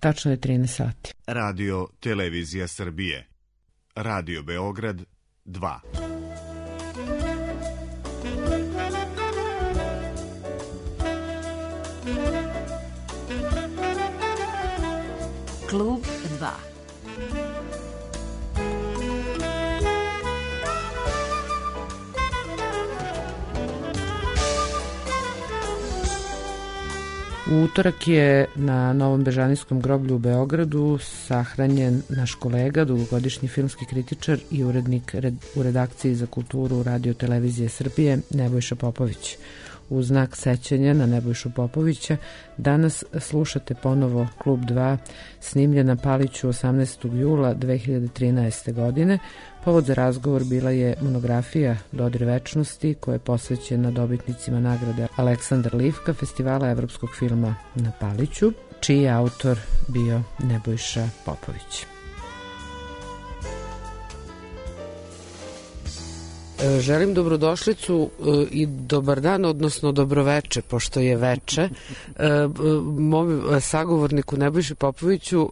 Tačno je 13 sati. Radio Televizija Srbije. Radio Beograd 2. Klub 2. U utorak je na Novom Bežanijskom groblju u Beogradu sahranjen naš kolega, dugogodišnji filmski kritičar i urednik u redakciji za kulturu Radio Televizije Srbije, Nebojša Popović. U znak sećanja na Nebojšu Popovića danas slušate ponovo Klub 2, snimljen na Paliću 18. jula 2013. godine. Povod za razgovor bila je monografija Dodir večnosti koja je posvećena dobitnicima nagrade Aleksandar Livka Festivala evropskog filma na Paliću, čiji je autor bio Nebojša Popović. Želim dobrodošlicu i dobar dan, odnosno dobroveče, pošto je veče, mom sagovorniku Nebojši Popoviću,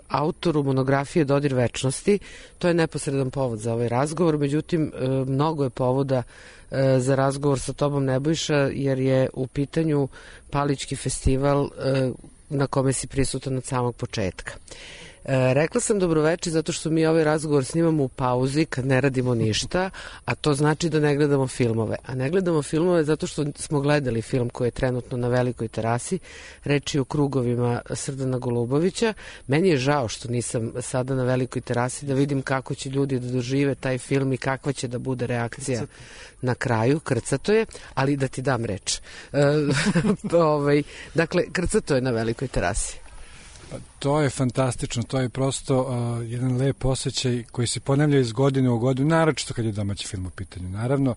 autoru monografije Dodir večnosti. To je neposredan povod za ovaj razgovor, međutim, mnogo je povoda za razgovor sa tobom, Nebojša, jer je u pitanju Palićki festival na kome si prisutan od samog početka. Rekla sam dobroveče zato što mi ovaj razgovor snimamo u pauzi kad ne radimo ništa, a to znači da ne gledamo filmove. A ne gledamo filmove zato što smo gledali film koji je trenutno na Velikoj terasi, reč je o Krugovima Srdana Golubovića. Meni je žao što nisam sada na Velikoj terasi da vidim kako će ljudi da dožive taj film i kakva će da bude reakcija na kraju. Krcato je, ali da ti dam reč. Dakle, krcato je na Velikoj terasi. To je fantastično, to je prosto jedan lep osjećaj koji se ponavlja iz godine u godinu, naročito kad je domaći film u pitanju. Naravno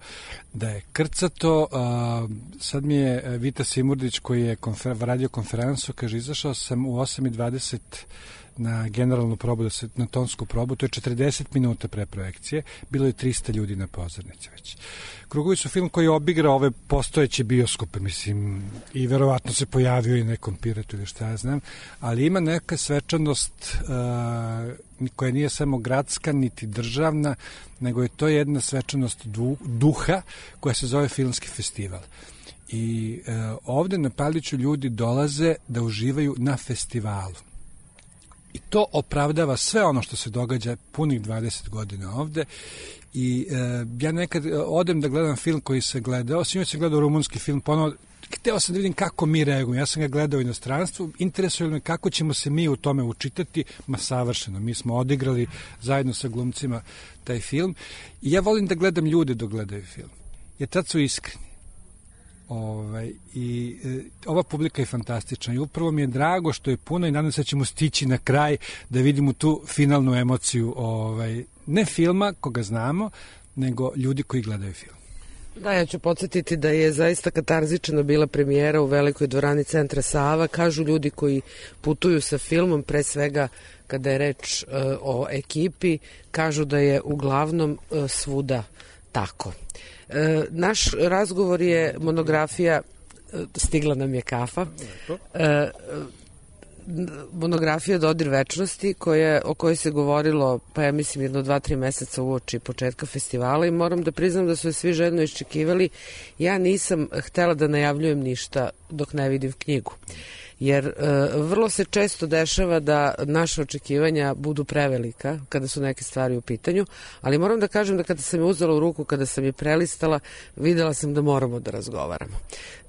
da je krcato, sad mi je Vita Simurdić koji je radio konferencu, kaže, izašao sam u 8:20 na generalnu probu, na tonsku probu, to je 40 minuta pre projekcije, bilo je 300 ljudi na pozornici već. Krugovi su film koji je obigrao ove postojeće bioskope, mislim, i verovatno se pojavio i nekom Piretu ili šta ja znam, ali ima neka svečanost koja nije samo gradska, niti državna, nego je to jedna svečanost duha koja se zove filmski festival. I ovde na Paliću ljudi dolaze da uživaju na festivalu. I to opravdava sve ono što se događa punih 20 godina ovde. I ja nekad odem da gledam film koji se gledao, sinoć sam gledao rumunski film, ponovo hteo sam da vidim kako mi reagujemo. Ja sam ga gledao u inostranstvu, interesuje me kako ćemo se mi u tome učitati, ma savršeno. Mi smo odigrali zajedno sa glumcima taj film i ja volim da gledam ljude dok gledaju film, jer tad su iskreni. Ova publika je fantastična i upravo mi je drago što je puno i nadam se da ćemo stići na kraj da vidimo tu finalnu emociju ne filma koga znamo, nego ljudi koji gledaju film. Da, ja ću podsjetiti da je zaista katarzična bila premijera u Velikoj dvorani Centra Sava. Kažu ljudi koji putuju sa filmom, pre svega kada je reč o ekipi, kažu da je uglavnom svuda tako. Naš razgovor je monografija, stigla nam je kafa, monografija Dodir večnosti o kojoj se govorilo, pa ja mislim 1-2-3 meseca uoči početka festivala i moram da priznam da su je svi željno iščekivali. Ja nisam htela da najavljujem ništa dok ne vidim knjigu. Jer vrlo se često dešava da naše očekivanja budu prevelika kada su neke stvari u pitanju, ali moram da kažem da kada sam je uzela u ruku, kada sam je prelistala, videla sam da moramo da razgovaramo.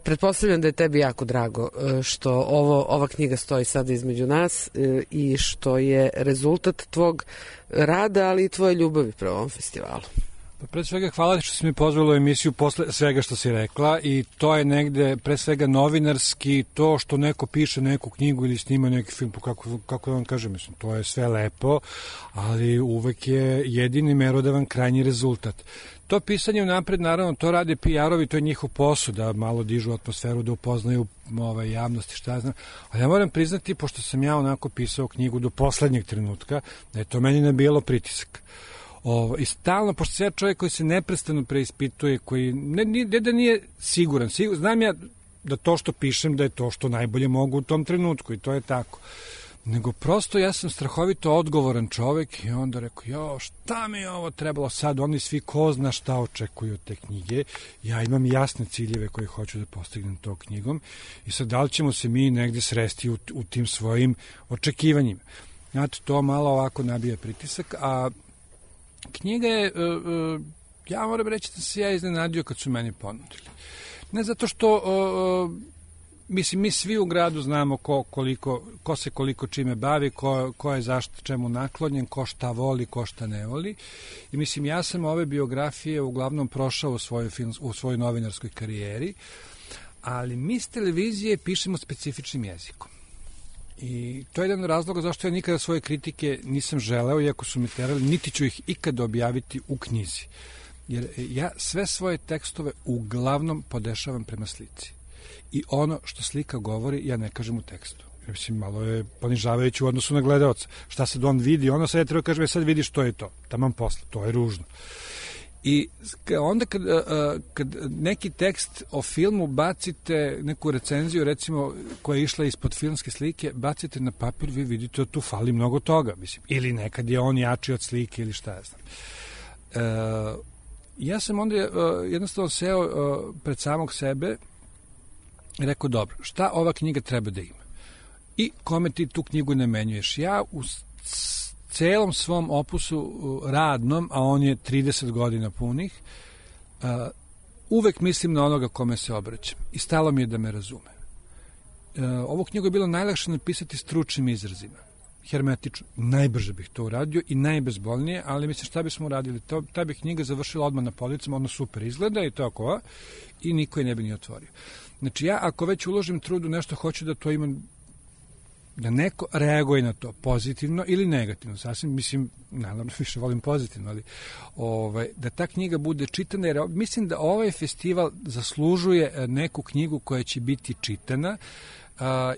Pretpostavljam da je tebi jako drago što ova knjiga stoji sada između nas i što je rezultat tvog rada, ali i tvoje ljubavi prema ovom festivalu. Pa pre svega hvala što si mi pozvala u emisiju posle svega što si rekla i to je negde pre svega novinarski, to što neko piše neku knjigu ili snima neki film, kako da vam kažem, mislim, to je sve lepo, ali uvek je jedini merodavan krajnji rezultat. To pisanje unapred, naravno, to rade PR-ovi, to je njihov posao, da malo dižu atmosferu, da upoznaju javnosti, šta znam. Ali ja moram priznati, pošto sam ja onako pisao knjigu do poslednjeg trenutka, da je to meni nabijalo pritisak. I stalno, pošto sam ja čovjek koji se neprestano preispituje, koji ne da nije siguran, znam ja da to što pišem da je to što najbolje mogu u tom trenutku i to je tako. nego prosto ja sam strahovito odgovoran čovek i onda rekao, šta mi je ovo trebalo sad, oni svi ko zna šta očekuju od te knjige, ja imam jasne ciljeve koje hoću da postignem tom knjigom i sad da li ćemo se mi negde sresti u tim svojim očekivanjima. Znate, to malo ovako nabija pritisak, a knjiga je, ja moram reći da se ja iznenadio kad su meni ponudili. Ne zato što, mislim, mi svi u gradu znamo ko se koliko čime bavi, ko je zašto čemu naklonjen, ko šta voli, ko šta ne voli. I mislim, ja sam ove biografije uglavnom prošao u svojoj novinarskoj karijeri, ali mi s televizije pišemo specifičnim jezikom. I to je jedan razlog zašto ja nikada svoje kritike nisam želeo, iako su mi terali, niti ću ih ikada objaviti u knjizi. Jer ja sve svoje tekstove uglavnom podešavam prema slici. I ono što slika govori, ja ne kažem u tekstu. Mislim, malo je ponižavajući u odnosu na gledaoca. Šta sad on vidi, ono sad je treba kažem, sad vidi što je to. Taman posle, to je ružno. I onda kad neki tekst o filmu bacite, neku recenziju recimo koja je išla ispod filmske slike, bacite na papir, vi vidite da tu fali mnogo toga, mislim. Ili nekad je on jači od slike ili šta ja znam. Ja sam onda jednostavno seo pred samog sebe i rekao, dobro, šta ova knjiga treba da ima? I kome ti tu knjigu namenjuješ? Ja u celom svom opusu radnom, a on je 30 godina punih, uvek mislim na onoga kome se obraćam. I stalo mi je da me razume. Ovu knjigu je bilo najlakše napisati stručnim izrazima. Hermetično. Najbrže bih to uradio i najbezbolnije, ali mislim šta bismo uradili? Ta bi knjiga završila odmah na policama, ono super izgleda i tako, i niko je ne bi ni otvorio. Znači ja ako već uložim trudu nešto, hoću da to imam, da neko reaguje na to pozitivno ili negativno. Sasvim, mislim, naravno više volim pozitivno, ali da ta knjiga bude čitana, jer mislim da ovaj festival zaslužuje neku knjigu koja će biti čitana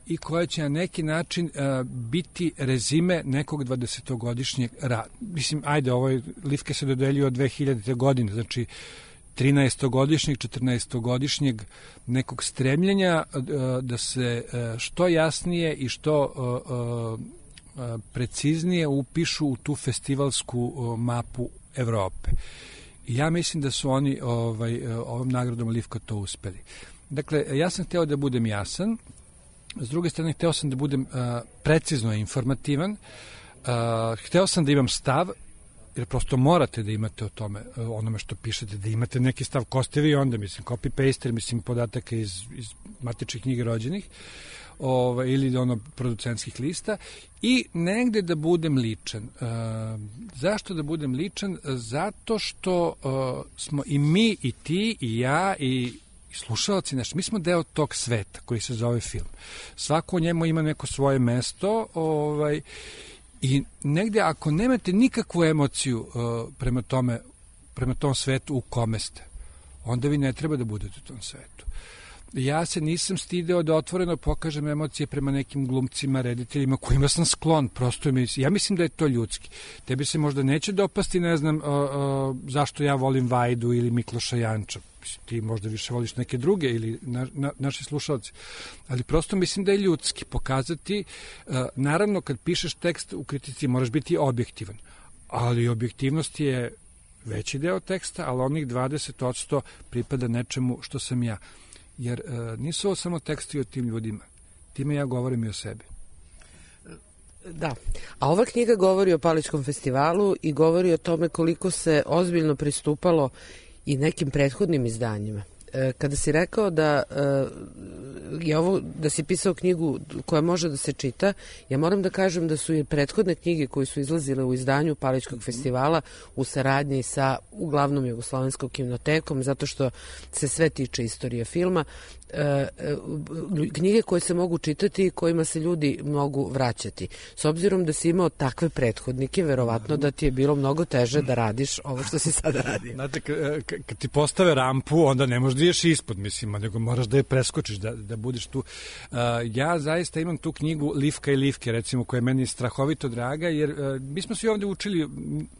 i koja će na neki način biti rezime nekog 20-godišnjeg rada. Mislim, ajde, Livke se dodeljuju od 2000. godine, znači 13-godišnjeg, 14-godišnjeg nekog stremljenja da se što jasnije i što preciznije upišu u tu festivalsku mapu Evrope. I ja mislim da su oni ovom nagradom Livka to uspeli. Dakle, ja sam hteo da budem jasan, s druge strane hteo sam da budem precizno informativan, hteo sam da imam stav, jer prosto morate da imate o tome, onome što pišete, da imate neki stav, ko ste vi onda, mislim, copy-paste, mislim, podataka iz matičnih knjige rođenih, ili producentskih lista, i negde da budem ličan. Zašto da budem ličan? Zato što smo i mi, i ti, i ja, i slušalci naši, mi smo deo tog sveta koji se zove film. Svako u njemu ima neko svoje mesto, i negde ako nemate nikakvu emociju prema tom svetu u kome ste, onda vi ne treba da budete u tom svetu. Ja se nisam stideo da otvoreno pokažem emocije prema nekim glumcima, rediteljima kojima sam sklon, prosto ja mislim da je to ljudski. Tebi se možda neće dopasti, ne znam zašto ja volim Vajdu ili Mikloša Janča, ti možda više voliš neke druge ili naši slušalci, ali prosto mislim da je ljudski pokazati, naravno kad pišeš tekst u kritici moraš biti objektivan, ali objektivnost je veći deo teksta, ali onih 20% pripada nečemu što sam ja. Jer nisu ovo samo teksti o tim ljudima. Time ja govorim i o sebi. Da, a ova knjiga govori o Palićkom festivalu i govori o tome koliko se ozbiljno pristupalo i nekim prethodnim izdanjima. Kada si rekao da je ovo, da si pisao knjigu koja može da se čita, ja moram da kažem da su i prethodne knjige koje su izlazile u izdanju Palićkog festivala u saradnji sa uglavnom Jugoslovenskom kinotekom, zato što se sve tiče istorije filma, knjige koje se mogu čitati i kojima se ljudi mogu vraćati. S obzirom da si imao takve prethodnike, verovatno da ti je bilo mnogo teže da radiš ovo što si sada radio. Znate, kad ti postave rampu, onda ne možeš da ideš ispod, mislim, nego moraš da je preskočiš, da budeš tu. Ja zaista imam tu knjigu Livka i Livke, recimo, koja je meni strahovito draga, jer mi smo svi ovde učili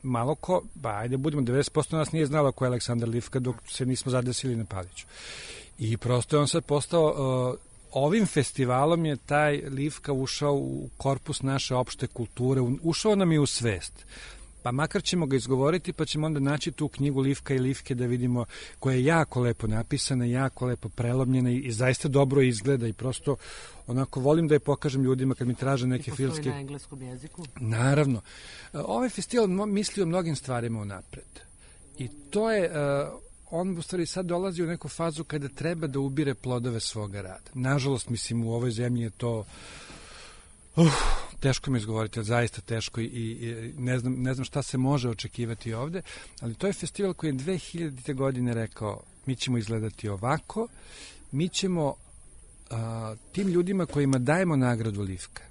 malo ko, ajde budemo, 90% nas nije znalo ko je Aleksandar Livka dok se nismo zadesili na Paliću. I prosto je on sad postao ovim festivalom je taj Livka ušao u korpus naše opšte kulture, ušao nam je u svest. Pa makar ćemo ga izgovoriti, pa ćemo onda naći tu knjigu Livka i Livke da vidimo, koja je jako lepo napisana, jako lepo prelomljena i zaista dobro izgleda i prosto onako volim da je pokažem ljudima kad mi traže neke filmske... Postoji na engleskom jeziku? Naravno. Ovaj festival misli o mnogim stvarima unapred. I to je... on u stvari sad dolazi u neku fazu kada treba da ubire plodove svoga rada. Nažalost, mislim, u ovoj zemlji je to... teško mi izgovoriti, zaista teško i ne znam šta se može očekivati ovde, ali to je festival koji je 2000. godine rekao mi ćemo izgledati ovako, mi ćemo tim ljudima kojima dajemo nagradu Livka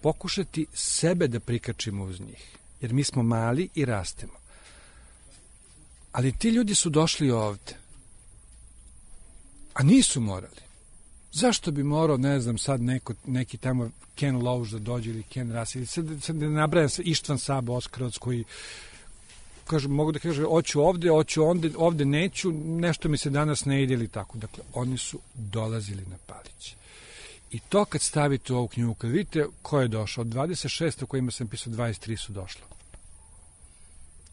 pokušati sebe da prikačimo uz njih, jer mi smo mali i rastemo. Ali ti ljudi su došli ovde, a nisu morali. Zašto bi morao, ne znam, sad neki tamo Ken Loach da dođe ili Ken Russell, ili sad da nabrajam Ištvan Sabo, Oskarovac, koji mogu da kažem, hoću ovde neću, nešto mi se danas ne ide ili tako. Dakle, oni su dolazili na Palić. I to kad stavite u ovu knjigu, kad vidite ko je došao, od 26 o kojima sam pisao, 23 su došla.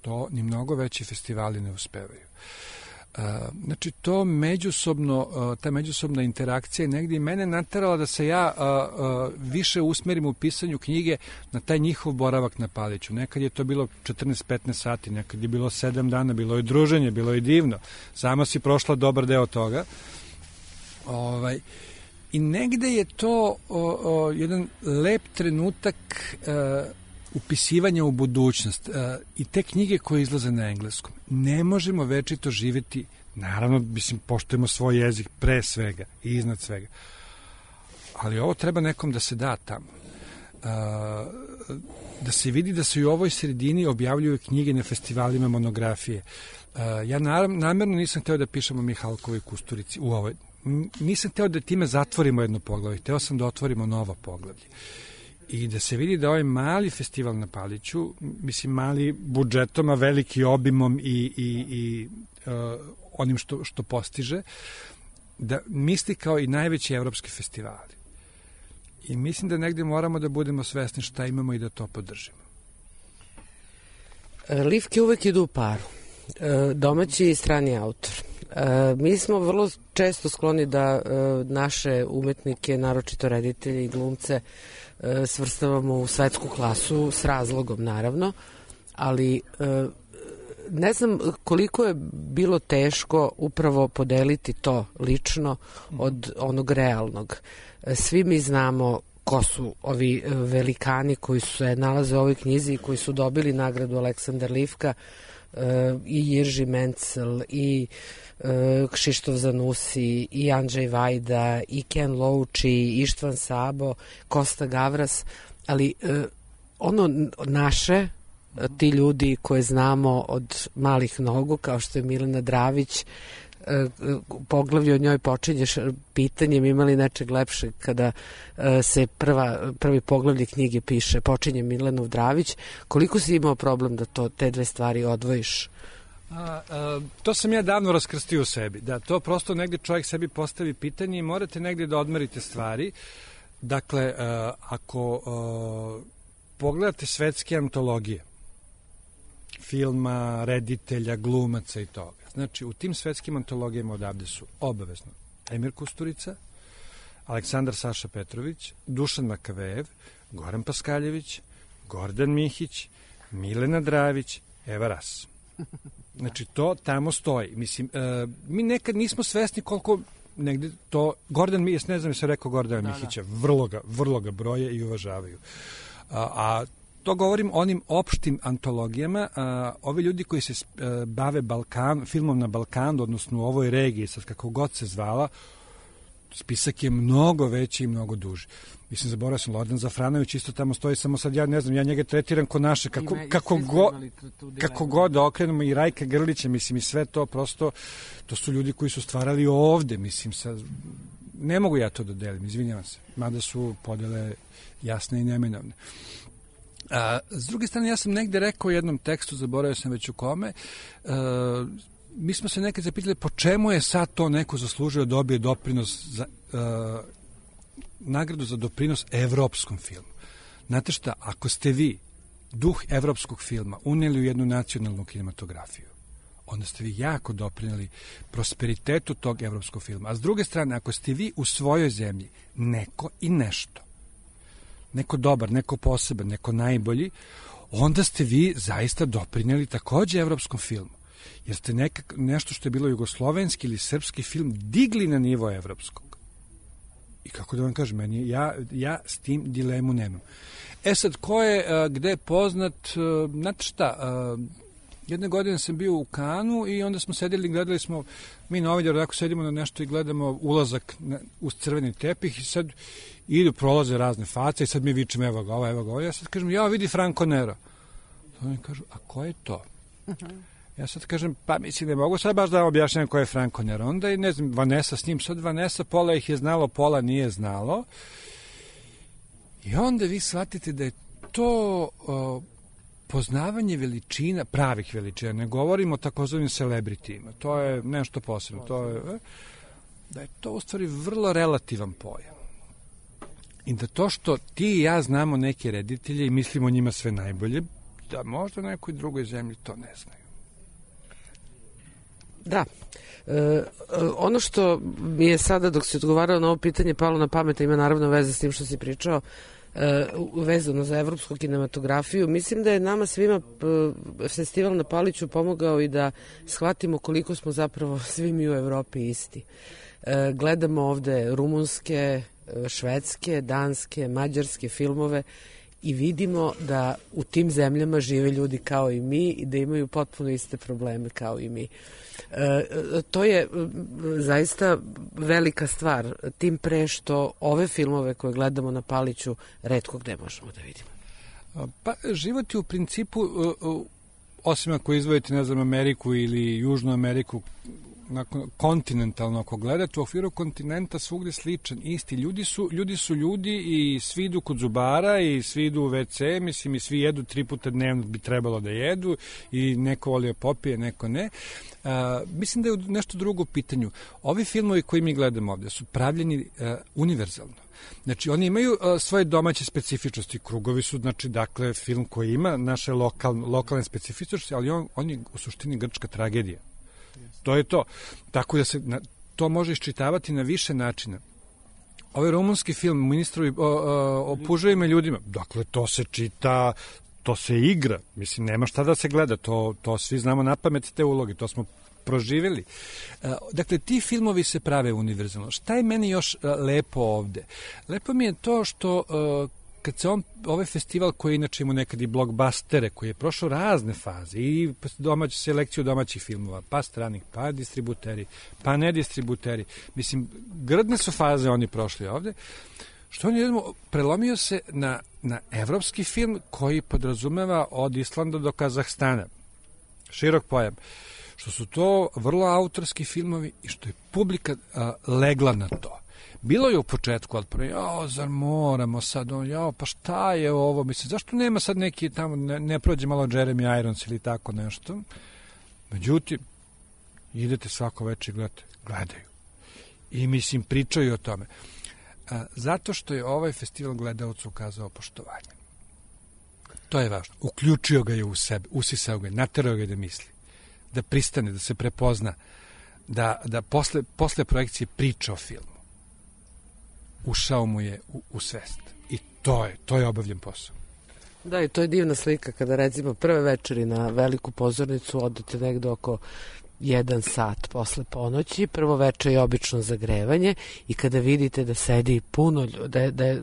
To ni mnogo veći festivali ne uspevaju. Znači, to ta međusobna interakcija je negdje i mene naterala da se ja više usmerim u pisanju knjige na taj njihov boravak na Paliću. Nekad je to bilo 14-15 sati, nekad je bilo 7 dana, bilo je druženje, bilo je divno. Sama si prošla dobar deo toga. I negde je to jedan lep trenutak upisivanja u budućnost i te knjige koje izlaze na engleskom. Ne možemo večito živjeti, naravno, mislim, poštujemo svoj jezik pre svega i iznad svega. Ali ovo treba nekom da se da tamo. Da se vidi da se i u ovoj sredini objavljuju knjige na festivalima, monografije. Ja namerno nisam hteo da pišem o Mihalkovoj Kusturici u ovoj. Nisam hteo da time zatvorimo jedno poglavlje. Hteo sam da otvorimo novo poglavlje. I da se vidi da ovaj mali festival na Paliću, mislim mali budžetom, a veliki obimom i onim što postiže, da misli kao i najveći evropski festivali. I mislim da negde moramo da budemo svesni šta imamo i da to podržimo. Livke uvek idu u paru. Domaći i strani autor. Mi smo vrlo često skloni da naše umetnike, naročito reditelje i glumce, svrstavamo u svetsku klasu, s razlogom naravno, ali ne znam koliko je bilo teško upravo podeliti to lično od onog realnog. Svi mi znamo ko su ovi velikani koji se nalaze u ovoj knjizi i koji su dobili nagradu Aleksandar Livka, i Jirži Mencel, i Kšištof Zanusi, i Andrzej Vajda, i Ken Loach, i Ištvan Sabo, Kosta Gavras, ali ono naše, ti ljudi koje znamo od malih nogu, kao što je Milena Dravić, poglavlje od njoj počinješ pitanjem imali nečeg lepšeg kada se prvi poglavlje knjige piše, počinje Milenov Dravić. Koliko si imao problem da te dve stvari odvojiš? To sam ja davno raskrstio u sebi. Da, to prosto negde čovjek sebi postavi pitanje i morate negde da odmerite stvari. Dakle, ako pogledate svetske antologije, filma, reditelja, glumaca i toga, znači, u tim svetskim antologijama odavde su obavezno Emir Kusturica, Aleksandar Saša Petrović, Dušan Makavejev, Goran Paskaljević, Gordan Mihić, Milena Dravić, Eva Ras. Znači, to tamo stoji. Mislim, mi nekad nismo svesni koliko negde to... Gordan Mihić, ne znam je se rekao Gordana Mihića, vrlo ga broje i uvažavaju. A to govorim onim opštim antologijama. Ovi ljudi koji se bave filmom na Balkanu, odnosno u ovoj regiji, sad kako god se zvala, spisak je mnogo veći i mnogo duži. Mislim, zaboravio sam, Lordan Zafranović isto tamo stoji, samo sad ja ne znam, ja njega tretiram ko naše, kako god da okrenemo, i Rajka Grlića, mislim, i sve to prosto, to su ljudi koji su stvarali ovde, mislim, sad, ne mogu ja to da delim, izvinjavam se, mada su podele jasne i neminovne. S druge strane, ja sam negde rekao u jednom tekstu, zaboravio sam već u kome, mi smo se nekad zapitali po čemu je sad to neko zaslužio da dobije doprinos za, nagradu za doprinos evropskom filmu. Znate šta, ako ste vi duh evropskog filma unijeli u jednu nacionalnu kinematografiju, onda ste vi jako doprinijeli prosperitetu tog evropskog filma. A s druge strane, ako ste vi u svojoj zemlji neko i nešto, neko dobar, neko poseban, neko najbolji, onda ste vi zaista doprinijeli takođe evropskom filmu. Jer ste nešto što je bilo jugoslovenski ili srpski film digli na nivo evropskog. I kako da vam kažem, ja s tim dilemu nemam. Sad, ko je gde poznat, znate šta, jedne godine sam bio u Kanu i onda smo sedeli, gledali smo, mi na Oviđaru tako sedimo na nešto i gledamo ulazak uz crveni tepih i sad prolaze razne face i sad mi vičemo evo ga ovo. Ja sad kažem, ja vidi Franco Nero. Oni kažu, a ko je to? Ja sad kažem, pa mislim, ne mogu sad baš da vam objašnjam ko je Franco Nero. Onda je, ne znam, Vanessa s njim, sad Vanessa, pola ih je znalo, pola nije znalo. I onda vi shvatite da je to poznavanje veličina, pravih veličina, ne govorimo o takozvanim celebritima, to je nešto posebno, da je to u stvari vrlo relativan pojam. I da to što ti i ja znamo neke reditelje i mislimo o njima sve najbolje, da možda nekoj drugoj zemlji to ne znaju. Da. Ono što mi je sada, dok si odgovarao na ovo pitanje, palo na pamet, ima naravno veze s tim što si pričao, vezano za evropsku kinematografiju. Mislim da je nama svima festival na Paliću pomogao i da shvatimo koliko smo zapravo svi mi u Evropi isti. Gledamo ovde rumunske, švedske, danske, mađarske filmove i vidimo da u tim zemljama žive ljudi kao i mi i da imaju potpuno iste probleme kao i mi. To je zaista velika stvar, tim pre što ove filmove koje gledamo na Paliću retko gde možemo da vidimo. Pa život je u principu, osim ako izvojite, ne znam, Ameriku ili Južnu Ameriku, kontinentalno ako gledate, u okviru kontinenta svugde sličan, isti. Ljudi su ljudi i svi idu kod zubara i svi idu u WC, mislim, i svi jedu 3 puta dnevno bi trebalo da jedu i neko voli popije, neko ne. Mislim da je nešto drugo u pitanju. Ovi filmovi koji mi gledamo ovde su pravljeni univerzalno. Znači, oni imaju svoje domaće specifičnosti. Krugovi su, znači, dakle, film koji ima naše lokalne specifičnosti, ali on je u suštini grčka tragedija. To je to. Tako da se to može iščitavati na više načina. Ovaj rumunski film, ministrovi o puževima ljudima, dakle, to se čita, to se igra. Mislim, nema šta da se gleda. To svi znamo na pamet te uloge. To smo proživjeli. Dakle, ti filmovi se prave univerzalno. Šta je meni još lepo ovde? Lepo mi je to što kad se ovaj festival koji inače ima nekad i blockbustere, koji je prošao razne faze i selekciju domaćih filmova, pa stranih, pa distributeri, pa ne distributeri. Mislim, grdne su faze oni prošli ovde. Što on je prelomio se na evropski film koji podrazumeva od Islanda do Kazahstana. Širok pojam. Što su to vrlo autorski filmovi i što je publika legla na to. Bilo je u početku, ali zar moramo sad, pa šta je ovo, mislim, zašto nema sad neki tamo, ne prođe malo Jeremy Irons ili tako nešto. Međutim, idete svako večer i gledaju. I mislim, pričaju o tome. Zato što je ovaj festival gledalcu ukazao poštovanje. To je važno. Uključio ga je u sebe, usisao ga je, naterao ga je da misli, da pristane, da se prepozna, da posle projekcije priča o filmu. Ušao mu je u svest. I to je obavljen posao. Da, i to je divna slika kada recimo prve večeri na veliku pozornicu odete negde oko 1 sat posle ponoći, prvo veče je obično zagrevanje i kada vidite da sedi puno, da je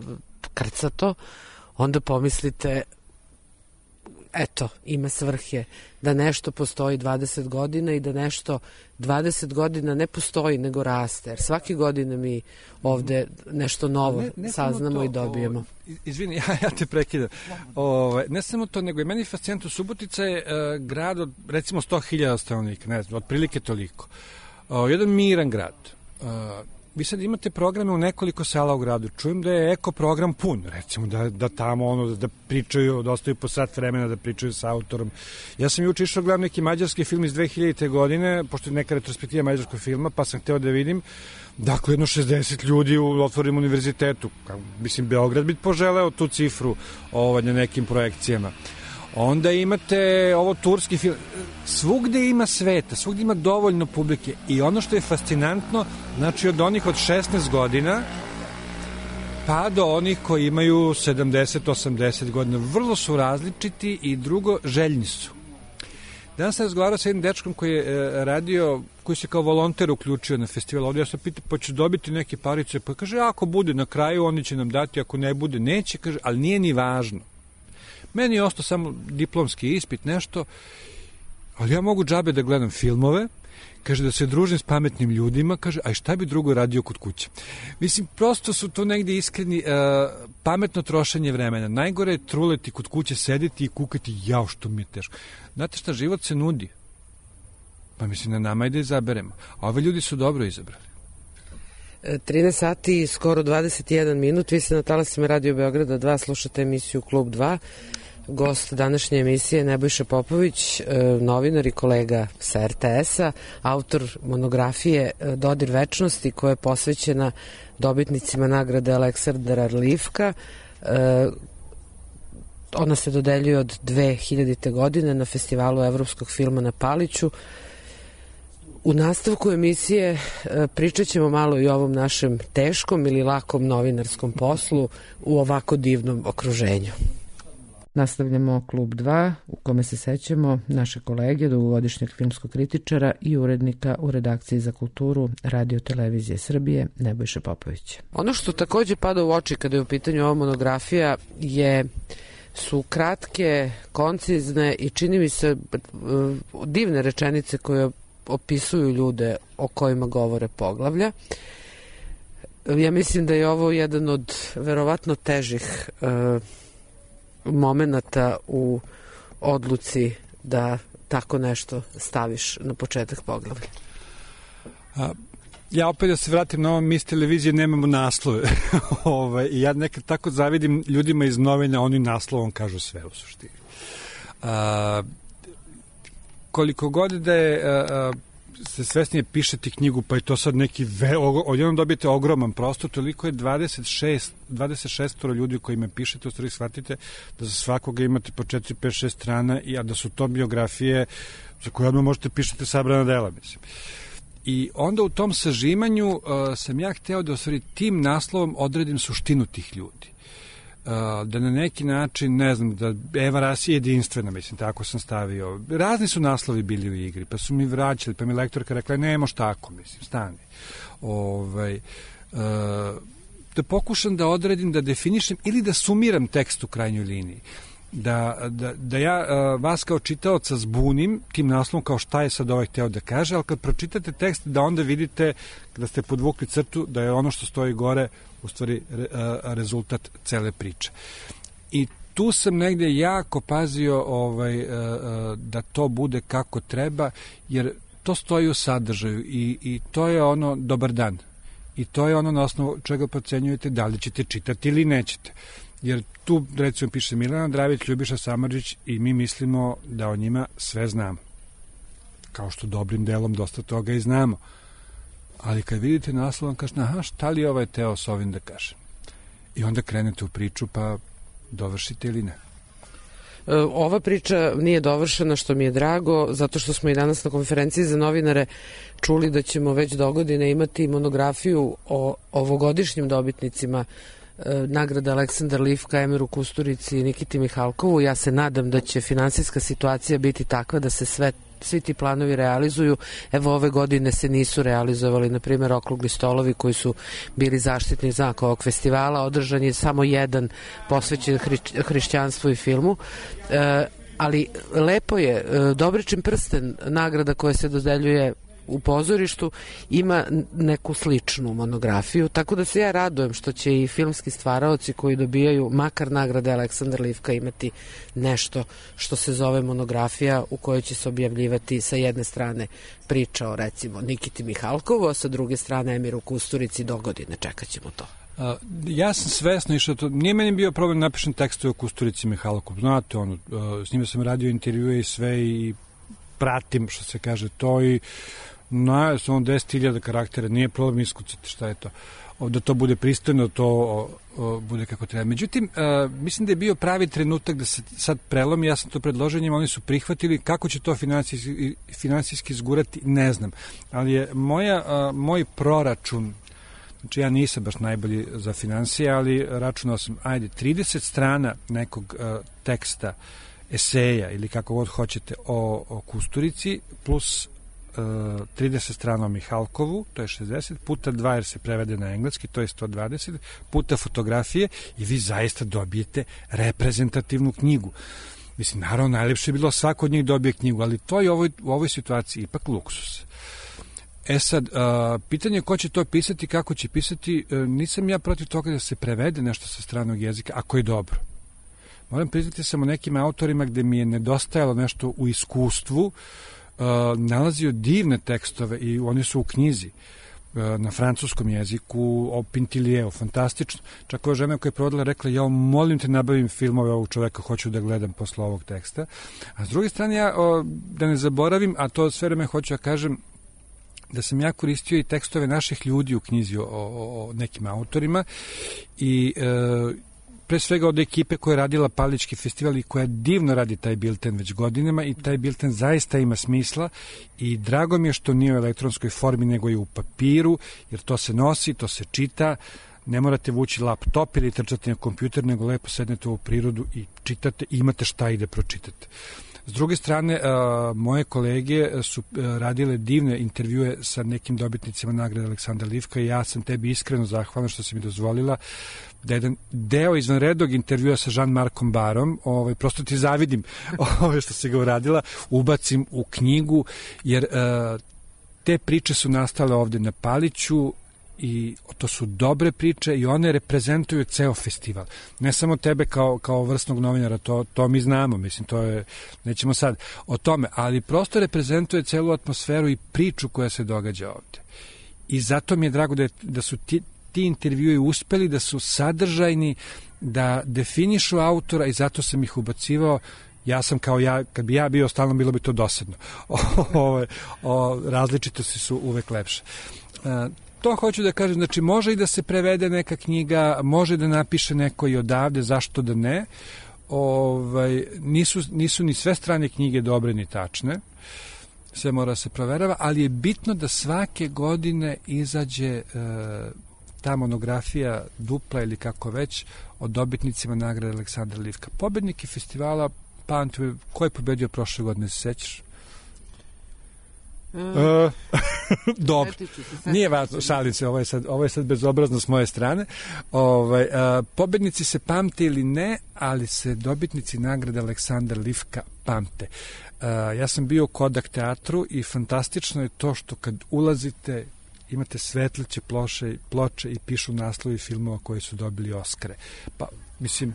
krcato, onda pomislite eto, ima svrhe da nešto postoji 20 godina i da nešto 20 godina ne postoji, nego raste. Jer svake godine mi ovde nešto novo saznamo i dobijemo. Izvini, ja te prekidam. Ne samo to, nego i meni fascinantno. Subotica je grad od, recimo, 100.000 stanovnika, ne znam, otprilike toliko. Jedan miran grad. vi sad imate programe u nekoliko sala u gradu. Čujem da je eko program pun, recimo da tamo da pričaju, da ostaju po sat vremena, da pričaju sa autorom. Ja sam juče išao gledam neki mađarski film iz 2000. godine, pošto je neka retrospektiva mađarskog filma, pa sam hteo da vidim. Dakle, jedno 60 ljudi u otvorenom univerzitetu. Mislim, Beograd bi poželeo tu cifru na nekim projekcijama. Onda imate ovo turski film. Svugde ima sveta, svugde ima dovoljno publike. I ono što je fascinantno, znači od onih od 16 godina pa do onih koji imaju 70-80 godina. Vrlo su različiti i drugo, željni su. Danas sam razgovarao sa jednim dečkom koji je radio, koji se kao volonter uključio na festival. Ovdje ja sam pitao, pa će dobiti neke parice. Pa kaže, ako bude na kraju, oni će nam dati, ako ne bude, neće. Kaže, ali nije ni važno. Meni je ostao samo diplomski ispit, nešto, ali ja mogu džabe da gledam filmove, kaže da se družim s pametnim ljudima, kaže, a šta bi drugo radio kod kuće? Mislim, prosto su to negde iskreni, pametno trošenje vremena. Najgore je truleti kod kuće, sedeti i kukati, jao što mi je teško. Znate šta, život se nudi. Pa mislim, na nama je da izaberemo. A ove ljudi su dobro izabrali. 13 sati i skoro 21 minut. Vi ste na talasima Radio Beograda 2, slušate emisiju Klub 2. Gost današnje emisije Nebojša Popović, novinar i kolega sa RTS-a, autor monografije Dodir večnosti koja je posvećena dobitnicima nagrade Aleksandra Livka. Ona se dodeljuje od 2000. godine na festivalu evropskog filma na Paliću. U nastavku emisije pričat ćemo malo i o ovom našem teškom ili lakom novinarskom poslu u ovako divnom okruženju. Nastavljamo Klub 2 u kome se sećamo naše kolege, dugogodišnjeg filmskog kritičara i urednika u redakciji za kulturu Radio Televizije Srbije, Nebojša Popović. Ono što takođe pada u oči kada je u pitanju ova monografija su kratke, koncizne i čini mi se divne rečenice koje opisuju ljude o kojima govore poglavlja. Ja mislim da je ovo jedan od verovatno težih momenata u odluci da tako nešto staviš na početak poglavlja. Ja opet da se vratim na ovo, mi s televizije nemamo naslove. I ja nekad tako zavidim ljudima iz novina, oni naslovom kažu sve u suštini. Koliko god da je se svesnije pišete knjigu, pa je to sad neki odjednom dobijete ogroman prostor, toliko je 26 ljudi koji me pišete, u stvari shvatite da za svakoga imate po 4, 5, 6 strana, a da su to biografije za koje odmah možete pišete sabrana dela, mislim. I onda u tom sažimanju sam ja hteo da u stvari tim naslovom odredim suštinu tih ljudi. Da na neki način, ne znam, da Eva Ras je jedinstvena, mislim, tako sam stavio. Razni su naslovi bili u igri, pa su mi vraćali, pa mi lektorka rekla, ne moš tako, mislim, stani. Da pokušam da odredim, da definišem ili da sumiram tekst u krajnjoj liniji. Da ja vas kao čitaoca zbunim tim naslovom kao šta je sad ovaj hteo da kaže, ali kad pročitate tekst da onda vidite da ste podvukli crtu da je ono što stoji gore u stvari rezultat cele priče. I tu sam negde jako pazio da to bude kako treba, jer to stoji u sadržaju i to je ono dobar dan. I to je ono na osnovu čega procenjujete da li ćete čitati ili nećete. Jer tu, recimo, piše Milana Dravić, Ljubiša Samardžić i mi mislimo da o njima sve znamo. Kao što dobrim delom dosta toga i znamo. Ali kad vidite naslov, vam kažete, aha, šta li ovaj teo s ovim da kaže? I onda krenete u priču, pa dovršite ili ne? Ova priča nije dovršena, što mi je drago, zato što smo i danas na konferenciji za novinare čuli da ćemo već dogodine imati monografiju o ovogodišnjim dobitnicima nagrada Aleksandar Livka, Emiru Kusturici i Nikiti Mihalkovu. Ja se nadam da će finansijska situacija biti takva da se svi ti planovi realizuju. Evo, ove godine se nisu realizovali, na primjer, okrugli stolovi koji su bili zaštitni znak ovog festivala. Održan je samo jedan posvećen hrišćanstvu i filmu. Ali lepo je, Dobričin prsten, nagrada koja se dodeljuje u pozorištu ima neku sličnu monografiju, tako da se ja radujem što će i filmski stvaraoci koji dobijaju makar nagrade Aleksandar Livka imati nešto što se zove monografija u kojoj će se objavljivati sa jedne strane priča o recimo Nikiti Mihalkovu, a sa druge strane Emiru Kusturici. Dogodine, čekat ćemo to. Ja sam svesno išao to, nije meni bio problem napišem tekstove o Kusturici Mihalkovu, znate ono, s njima sam radio intervjue i sve i pratim što se kaže to i na samo 10.000 karaktera, nije problem iskucati šta je to. Da to bude pristojno, to bude kako treba. Međutim, mislim da je bio pravi trenutak da se sad prelomi, ja sam to predložio njima, oni su prihvatili, kako će to finansijski zgurati, ne znam. Ali je moj proračun, znači ja nisam baš najbolji za finansije, ali računao sam, 30 strana nekog teksta, eseja ili kako god hoćete o Kusturici, plus 30 strana o Mihalkovu, to je 60, puta 2 jer se prevede na engleski, to je 120, puta fotografije i vi zaista dobijete reprezentativnu knjigu. Mislim, naravno, najlepše je bilo svako od njih dobije knjigu, ali to je u ovoj situaciji ipak luksus. Sad, pitanje je ko će to pisati, kako će pisati, nisam ja protiv toga da se prevede nešto sa stranog jezika, ako je dobro. Moram priznati sam o nekim autorima gde mi je nedostajalo nešto u iskustvu, nalazio divne tekstove i oni su u knjizi na francuskom jeziku o Pintiliju, fantastično. Čak ova žena koja je provodila rekla, ja molim te nabavim filmove ovog čoveka, hoću da gledam posle ovog teksta. A s druge strane, ja da ne zaboravim, a to sve vreme hoću da kažem, da sam ja koristio i tekstove naših ljudi u knjizi o nekim autorima i pre svega od ekipe koja je radila Palički festival i koja divno radi taj bilten već godinama i taj bilten zaista ima smisla i drago mi je što nije u elektronskoj formi nego je u papiru, jer to se nosi, to se čita, ne morate vući laptop ili trčati na kompjuter, nego lepo sednete u prirodu i čitate i imate šta i da pročitate. S druge strane, moje kolege su radile divne intervjue sa nekim dobitnicima nagrade Aleksandra Livka i ja sam tebi iskreno zahvalan što si mi dozvolila da jedan deo izvanrednog intervjua sa Jean-Marcom Barom, prosto ti zavidim što si ga uradila, ubacim u knjigu, jer te priče su nastale ovde na Paliću i to su dobre priče i one reprezentuju ceo festival. Ne samo tebe kao vrsnog novinara, to mi znamo, mislim, to je, nećemo sad o tome, ali prosto reprezentuje celu atmosferu i priču koja se događa ovde. I zato mi je drago da su ti intervjui uspeli, da su sadržajni, da definišu autora i zato sam ih ubacivao. Ja sam kao ja, kad bi ja bio stalno, bilo bi to dosadno. Različitosti su uvek lepše. To hoću da kažem, znači može i da se prevede neka knjiga, može da napiše neko i odavde, zašto da ne. Nisu ni sve strane knjige dobre ni tačne, sve mora se proverava, ali je bitno da svake godine izađe ta monografija dupla ili kako već o dobitnicima nagrade Aleksandra Livka. Pobedniki festivala, ko je pobedio prošle godine, se sećaš? Dobro, nije važno, šalim se, ovo je sad bezobrazno s moje strane. Pobednici se pamte ili ne, ali se dobitnici nagrade Aleksandar Livka pamte. Ja sam bio u Kodak teatru i fantastično je to što kad ulazite imate svetleće ploče i pišu naslovi filmova koji su dobili Oskare. Pa mislim,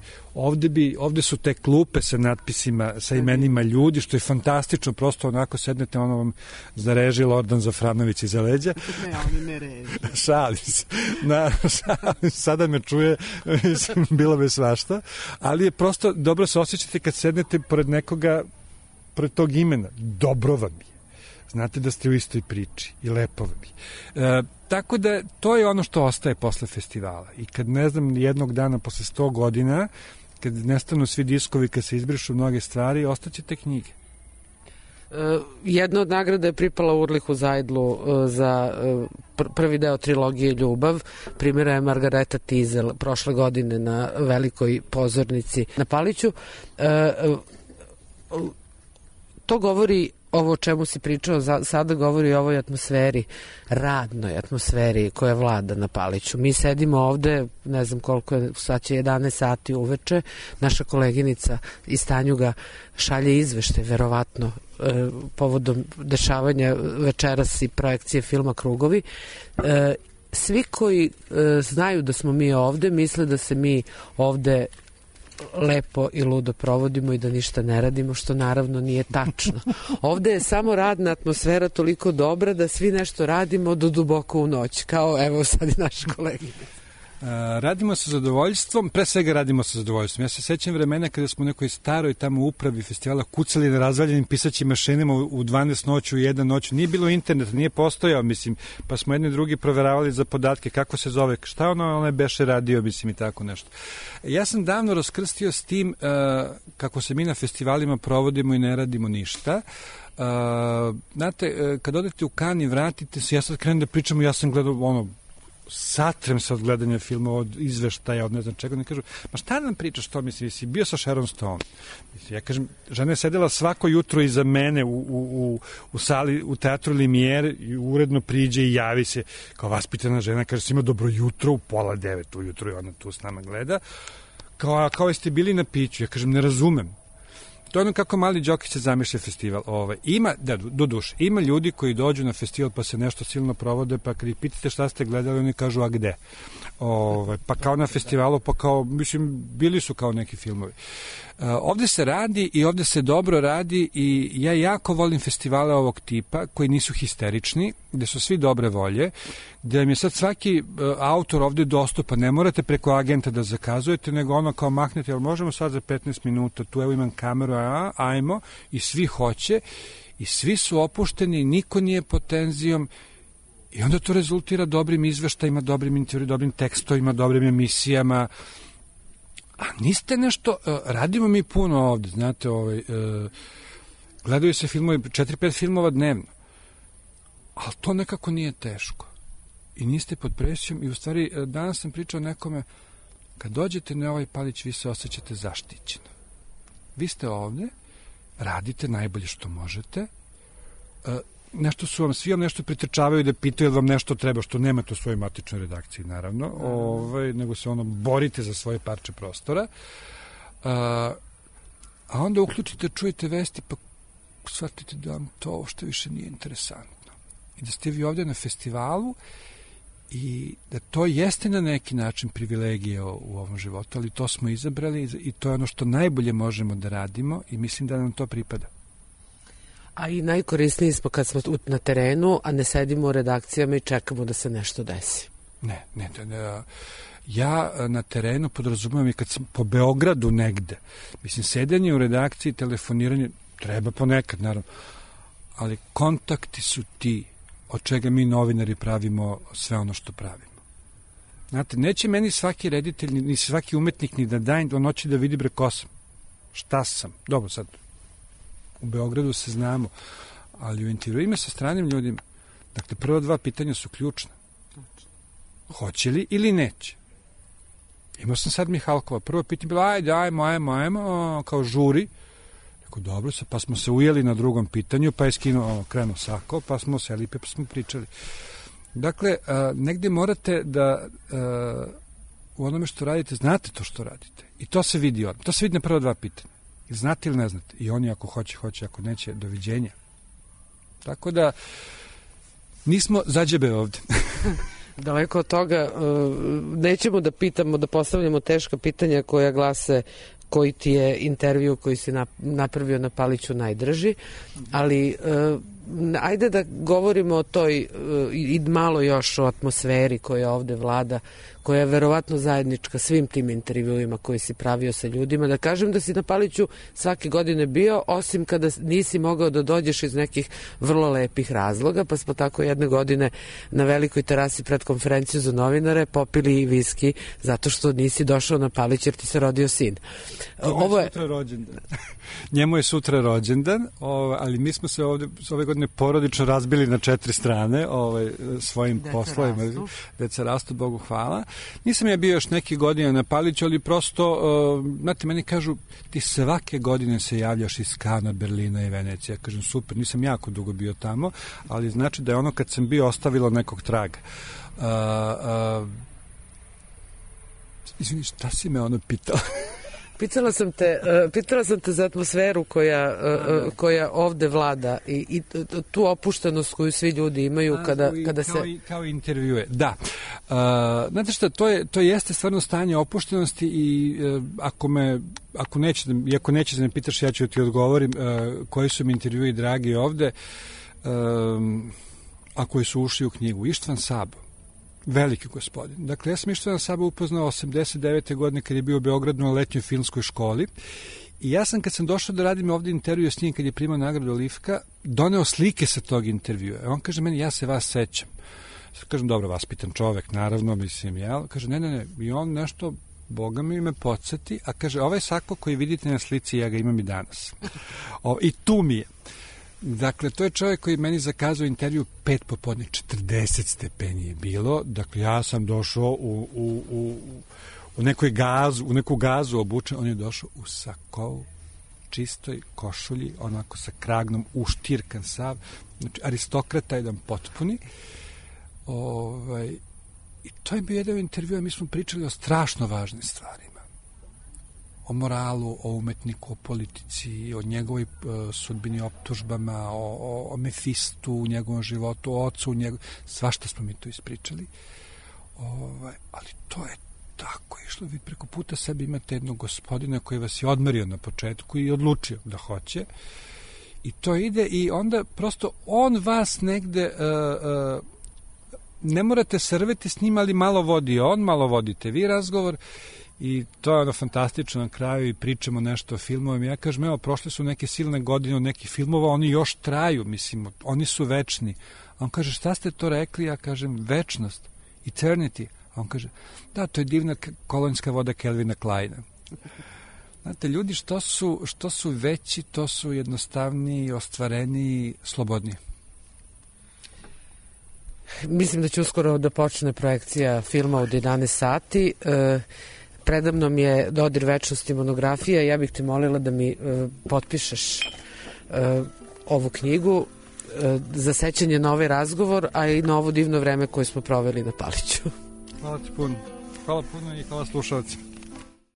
ovde su te klupe sa natpisima, sa imenima ljudi, što je fantastično, prosto onako sednete, ono vam zareži Lordan Zafranović iza leđa. Ne, oni ne reži. Šalim se. Sada me čuje, mislim, bilo bi svašta, ali je prosto dobro se osjećate kad sednete pored nekoga, pored tog imena. Dobro vam je. Znate da ste u istoj priči i lepo vam je. Tako da to je ono što ostaje posle festivala. I kad, ne znam, jednog dana posle 100 godina, kad nestanu svi diskovi, kad se izbrišu mnoge stvari, ostaće te knjige. Jedna od nagrada je pripala Urlihu Zajdlu za prvi deo trilogije Ljubav. Primjera je Margareta Tizel prošle godine na velikoj pozornici na Paliću. To govori ovo o čemu si pričao sada govori o ovoj atmosferi, radnoj atmosferi koja vlada na Paliću. Mi sedimo ovde, ne znam koliko je, sad će 11 sati uveče, naša koleginica iz Tanjuga šalje izvešte, verovatno, povodom dešavanja večeras i projekcije filma Krugovi. Svi koji znaju da smo mi ovde, misle da se mi ovde lepo i ludo provodimo i da ništa ne radimo, što naravno nije tačno. Ovde je samo radna atmosfera toliko dobra da svi nešto radimo do duboko u noć, kao evo sad i naši kolegi. Radimo sa zadovoljstvom, pre svega radimo sa zadovoljstvom. Ja se sećam vremena kada smo u nekoj staroj tamo upravi festivala kucali na razvaljenim pisaćim mašinama u 12 noću, u 1 noću. Nije bilo interneta, nije postojao, mislim, pa smo jedni drugi proveravali za podatke, kako se zove, šta ono beše radio, mislim, i tako nešto. Ja sam davno raskrstio s tim kako se mi na festivalima provodimo i ne radimo ništa. Znate, kad odete u Kan i vratite se, ja sad krenem da pričam, ja sam gledao satrem se od gledanja filma, od izveštaja, od ne znam čega, ne kažu, ma šta nam pričaš to, mislim, si bio sa Sharon Stone. Mislim, ja kažem, žena je sedela svako jutro iza mene u sali, u teatru Limijer, i uredno priđe i javi se kao vaspitana žena, kaže, si ima dobro jutro, u 8:30 ujutro i ona tu s nama gleda, kao jeste bili na piću. Ja kažem, ne razumem. To je ono kako Mali Đokić se zamišlja festival. Ima, do duše, ima ljudi koji dođu na festival pa se nešto silno provode, pa kad ih pitate šta ste gledali, oni kažu, a gde? Pa kao na festivalu, pa kao, mislim, bili su kao neki filmovi. Ovde se radi i ovde se dobro radi i ja jako volim festivale ovog tipa koji nisu histerični, gde su svi dobre volje, gde vam je sad svaki autor ovde dostupan, ne morate preko agenta da zakazujete, nego ono kao mahnete, ali možemo sad za 15 minuta, tu evo imam kameru, ajmo, i svi hoće, i svi su opušteni, niko nije pod tenzijom, i onda to rezultira dobrim izveštajima, dobrim intervjuima, dobrim tekstovima, dobrim emisijama. A niste nešto, radimo mi puno ovde, znate, gledaju se filmovi, 4-5 filmova dnevno, ali to nekako nije teško. I niste pod presijom i u stvari danas sam pričao nekome, kad dođete na ovaj Palić, vi se osjećate zaštićeno. Vi ste ovde, radite najbolje što možete, nešto su vam, svi vam nešto pritrčavaju da pitaju da vam nešto treba, što nemate u svojoj matičnoj redakciji, naravno, nego se borite za svoje parče prostora, a onda uključite, čujete vesti, pa shvatite da vam to uopšte više nije interesantno. I da ste vi ovde na festivalu i da to jeste na neki način privilegija u ovom životu, ali to smo izabrali i to je ono što najbolje možemo da radimo i mislim da nam to pripada. A i najkorisniji smo kad smo na terenu, a ne sedimo u redakcijama i čekamo da se nešto desi. Ne. Ja na terenu podrazumijem i kad sam po Beogradu negde. Mislim, sedenje u redakciji, telefoniranje, treba ponekad, naravno. Ali kontakti su ti od čega mi novinari pravimo sve ono što pravimo. Znate, neće meni svaki reditelj, ni svaki umetnik ni da daje do noći da vidi ko sam. Šta sam? Dobro, sad u Beogradu se znamo, ali u intervjuima sa stranim ljudima, dakle, prva 2 pitanja su ključna. Hoće li ili neće? Imao sam sad Mihalkova. Prvo pitanje bilo, ajmo, kao žuri. Rekao, dobro, pa smo se ujeli na drugom pitanju, pa je krenuo sako, pa smo seli, pa smo pričali. Dakle, negde morate da u onome što radite, znate to što radite. I to se vidi to se vidi na prva 2 pitanja. Znate ili ne znate? I oni ako hoće, ako neće, doviđenja. Tako da, nismo zađebe ovde. Daleko od toga, nećemo da pitamo, da postavljamo teška pitanja koja glase koji ti je intervju koji si napravio na Paliću najdrži, ali ajde da govorimo o toj i malo još o atmosferi koja ovde vlada, koja je verovatno zajednička svim tim intervjuima koji si pravio sa ljudima. Da kažem da si na Paliću svake godine bio, osim kada nisi mogao da dođeš iz nekih vrlo lepih razloga, pa smo tako jedne godine na velikoj terasi pred konferenciju za novinare popili i viski zato što nisi došao na Palić jer ti se rodio sin. Ovo je sutra rođendan. Njemu je sutra rođendan, ali mi smo se ove godine godine porodično razbili na 4 strane svojim poslovima. Deca rastu, Bogu hvala. Nisam ja bio još neke godine na Paliću, ali prosto, znate, meni kažu, ti svake godine se javljaš iz Kana, Berlina i Venecija. Kažem, super, nisam jako dugo bio tamo, ali znači da je ono kad sam bio ostavilo nekog traga. Izvini, šta si me ono pitala? Pitala sam te za atmosferu koja ovde vlada i tu opuštenost koju svi ljudi imaju kada se... Kao intervjue, da. Znate šta, to jeste stvarno stanje opuštenosti i ako nećeš da me pitaš, ja ću ti odgovorim koji su mi intervjui dragi ovde, a koji su ušli u knjigu. Ištvan Sabo. Veliki gospodin. Dakle, ja sam Ištvana Sabo upoznao 89. godine kad je bio u Beogradu na letnjoj filmskoj školi i ja sam kad sam došao da radim ovdje intervju s njim kad je primao nagradu Lifka, doneo slike sa tog intervjua. On kaže meni, ja se vas sećam. Kažem, dobro, vaspitan čovek, naravno, mislim, jel? Kaže, ne, i on nešto, Boga mi me podsjeti, a kaže, ovaj sako koji vidite na slici, ja ga imam i danas. I tu mi je. Dakle, to je čovjek koji meni zakazao intervju 5 popodne, 40 stepeni je bilo. Dakle, ja sam došao u neku gazu obučen, on je došao u sakovu, čistoj košulji, onako sa kragnom, uštirkan sav, znači aristokrata jedan potpuni. I to je bio jedan intervju, a mi smo pričali o strašno važnim stvarima. O moralu, o umetniku, o politici, o njegovoj sudbini, optužbama, o Mefistu u njegovom životu, o ocu, svašta smo mi tu ispričali. Ali to je tako išlo. Vi preko puta sebi imate jednog gospodina koji vas je odmerio na početku i odlučio da hoće. I to ide i onda prosto on vas negde... ne morate se rveti s njim, ali malo vodi on, malo vodite vi razgovor. I to je ono fantastično na kraju i pričamo nešto o filmovima. Ja kažem, evo, prošle su neke silne godine od nekih filmova, oni još traju, mislim, oni su večni. A on kaže, šta ste to rekli? Ja kažem, večnost, eternity. A on kaže, da, to je divna kolonjska voda Kelvina Kleina. Znate, ljudi što su veći, to su jednostavniji, ostvareniji, slobodniji. Mislim da će uskoro da počne projekcija filma od 11 sati. Predamnom je Dodir večnosti monografija. Ja bih te molila da mi potpišeš ovu knjigu za sećanje na ovaj razgovor, a i na ovo divno vreme koje smo proveli na Paliću. Hvala ti puno. Hvala puno i hvala slušalci.